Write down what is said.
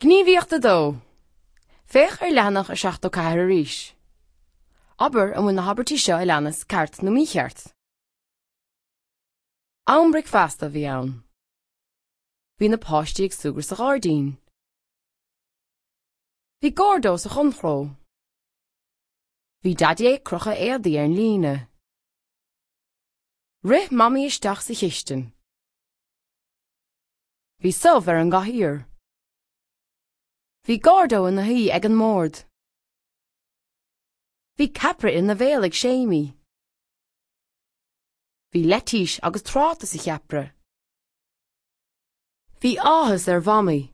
Gníomhaíocht 2. Féach ar leathanach 74 arís. Abair an bhfuil na habairtí seo a leanas ceart nó mícheart. Am bricfeasta a bhí ann. Bhí na páistí ag súgradh sa ghairdín. Bhí Gordo sa chonnchró. Bhí Daidí ag crochadh éadaí ar an líne. Rith Mamaí isteach sa chistin. Bhí subh ar an gcathaoir. Bhí Gordo ina shuí ag an mbord. Bhí ceapaire ina bhéal ag Séimí. Bhí leitís agus tráta sa cheapaire. Bhí áthas ar Mhamaí.